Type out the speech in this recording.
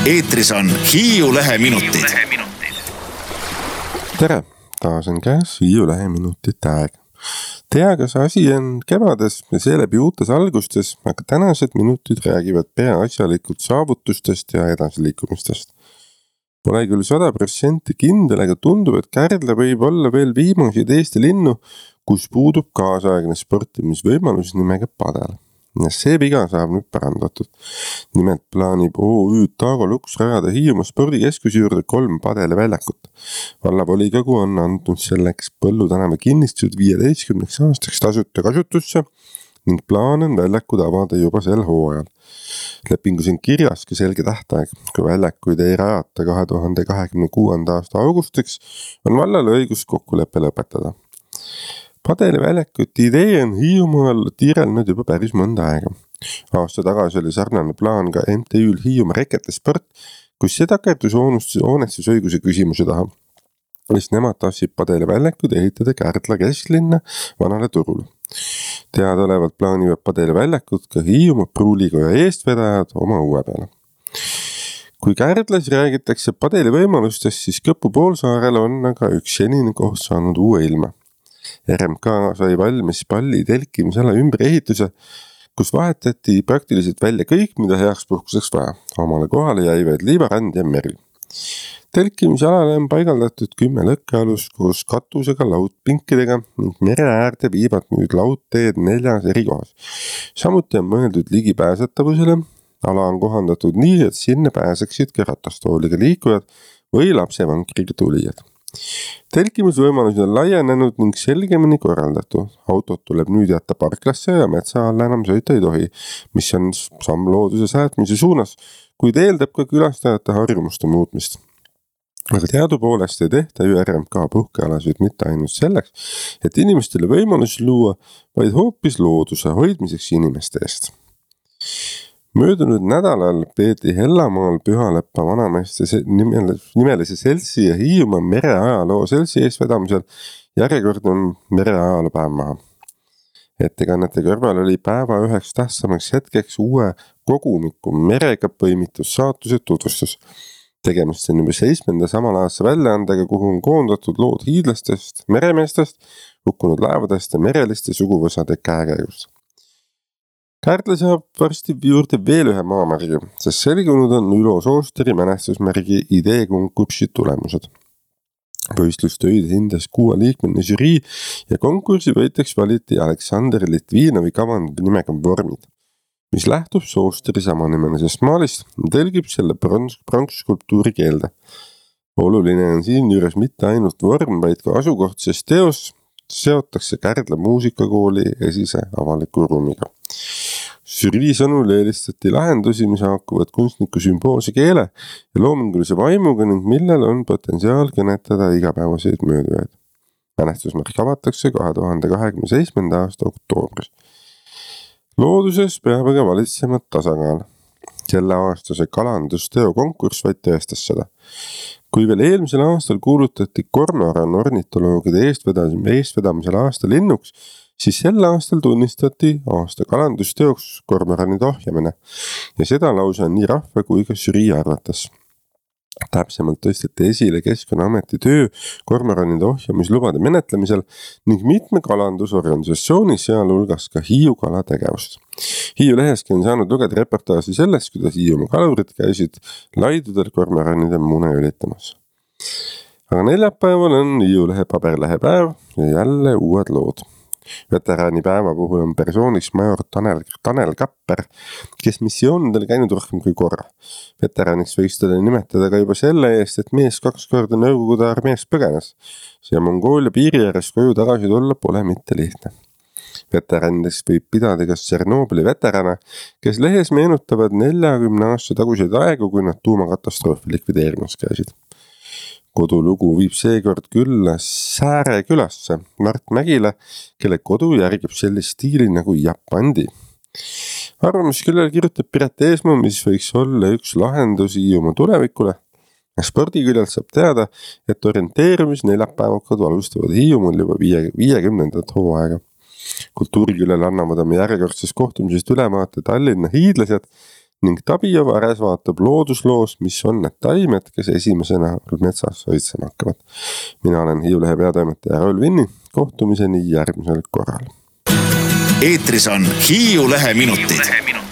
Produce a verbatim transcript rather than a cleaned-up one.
eetris on Hiiu Leheminutid. Tere, taas on käes Hiiu Leheminutite aeg. Tea, kas asi on kevades ja seeläbi uutes algustes, aga tänased minutid räägivad peaasjalikult saavutustest ja edasiliikumistest. Pole küll sada protsenti kindel, aga tundub, et Kärdla võib olla veel viimaseid Eesti linnu, kus puudub kaasaegne sportimisvõimalus nimega padel. Ja see viga saab nüüd parandatud. Nimelt plaanib O Ü Taago Luks rajada Hiiumaa spordikeskuse juurde kolm padeliväljakut. Vallavolikogu on andnud selleks Põllu tänava kinnistused viieteistkümneks aastaks tasuta kasutusse ning plaan on väljakud avada juba sel hooajal. Lepingus on kirjas ka selge tähtaeg, kui väljakuid ei rajata kahe tuhande kahekümne kuuenda aasta augustiks, on vallal õigus kokkuleppe lõpetada. Padeliväljakute idee on Hiiumaal tiirelnud juba päris mõnda aega. Aasta tagasi oli sarnane plaan ka M T Ü'l Hiiumaa Reketesport, kus see takerdus hoonestusõiguse küsimuse taha. Mis nemad tahtsid padeliväljakud ehitada Kärdla kesklinna vanale turule. Teadaolevalt plaanivad padeliväljakud ka Hiiumaa Pruulikoja eestvedajad oma uue peale. Kui Kärdlas räägitakse padelivõimalustest, siis Kõpu poolsaarel on aga üks senine koht saanud uue ilma. R M K sai valmis palli telkimisala ümber ehituse, kus vahetati praktiliselt välja kõik, mida heaks puhkuseks vaja. Omale kohale jäi vaid liivarand ja meri. Telkimisalale on paigaldatud kümme lõkkealus koos katusega laudpinkidega ning mere äärde viivad nüüd laudteed neljas eri kohas. Samuti on mõeldud ligipääsetavusele. Ala on kohandatud nii, et sinne pääseksid ka ratastooliga liikujad või lapsevankriga tulijad. Telkimisvõimalused on laienenud ning selgemini korraldatud. Autot tuleb nüüd jätta parklasse ja metsa alla enam sõita ei tohi, mis on samm looduse säätmise suunas, kuid eeldab ka külastajate harjumuste muutmist. Aga teadupoolest ei tehta ju R M K puhkealasid mitte ainult selleks, et inimestele võimalus luua, vaid hoopis looduse hoidmiseks inimeste eest. Möödunud nädalal peeti Hellamaal Pühaleppa vanameeste nimelise seltsi ja Hiiumaa mereajaloo seltsi eestvedamisel järjekordne mereajaloo päev maha. Ettekannete kõrval oli päeva üheks tähtsamaks hetkeks uue kogumiku merega põimitud saatuse tutvustus. Tegemist on juba seitsmenda samalaadse väljaandega, kuhu on koondatud lood hiidlastest, meremeestest, hukkunud laevadest ja mereliste suguvõsade käekäigust. Kärdla saab varsti juurde veel ühe maamärgi, sest selgunud on Ülo Soosteri mälestusmärgi ideekonkursi tulemused. Võistlustöid hindas kuueliikmeline žürii ja konkursi võitjaks valiti Aleksander Litvinovi kavand nimega Vormid, mis lähtub Soosteri samanimelisest maalist ja telgib selle pronksskulptuuri keelde. Oluline on siin juures mitte ainult vorm, vaid ka asukoht, sest teos seotakse Kärdla muusikakooli esise avaliku ruumiga. Žürii sõnul eelistati lahendusi, mis haakuvad kunstniku sümboolse keele ja loomingulise vaimuga ning millel on potentsiaal kõnetada igapäevaseid möödujaid. Mälestusmärk avatakse kahe tuhande kahekümne seitsmenda aasta oktoobris. Looduses peab aga valitsema tasakaal. Selle aastase kalandusteo konkurss vaid tõestas seda. Kui veel eelmisel aastal kuulutati kormoran ornitoloogide eestvedamisel aasta linnuks, siis sel aastal tunnistati aasta kalandusteoks kormoranide ohjamine ja seda lausa nii rahva kui ka žürii arvates. Täpsemalt tõsteti esile Keskkonnaameti töö kormoranide ohjamislubade menetlemisel ning mitme kalandusorganisatsiooni, sealhulgas ka Hiiu kala tegevust. Hiiu leheski on saanud lugeda reportaaži sellest, kuidas Hiiumaa kalurid käisid laidudel kormoranide mune ülitamas. Aga neljapäeval on Hiiu lehe paberlehepäev ja jälle uued lood. Veteraani päeva puhul on persooniks major Tanel, Tanel Kapper, kes missioonidel käinud rohkem kui korra. Veteraniks võiks teda nimetada ka juba selle eest, et mees kaks korda Nõukogude armees põgenes. See Mongoolia piiri ääres koju tagasi tulla pole mitte lihtne. Veteranidest võib pidada kas Tšernobõli veterane, kes lehes meenutavad neljakümne aasta taguseid aegu, kui nad tuumakatastroofi likvideerimas käisid. Kodulugu viib seekord külla Sääre külasse Mart Mägile, kelle kodu järgib sellist stiili nagu Japandi. Arvamusküljel kirjutab Piret Eesmaa, mis võiks olla üks lahendusi Hiiumaa tulevikule. Spordiküljelt saab teada, et orienteerumis neljapäevakad alustavad Hiiumaal juba viiekümnendat hooaega. Kultuuriküljel annavad oma järjekordsest kohtumisest ülevaate Tallinna hiidlased ning Tabio Vares vaatab loodusloos, mis on need taimed, kes esimesena metsas soitsema hakkavad. Mina olen Hiiu Lehe peatoimetaja Raul Vinni, kohtumiseni järgmisel korral. Eetris on Hiiu Lehe minutid.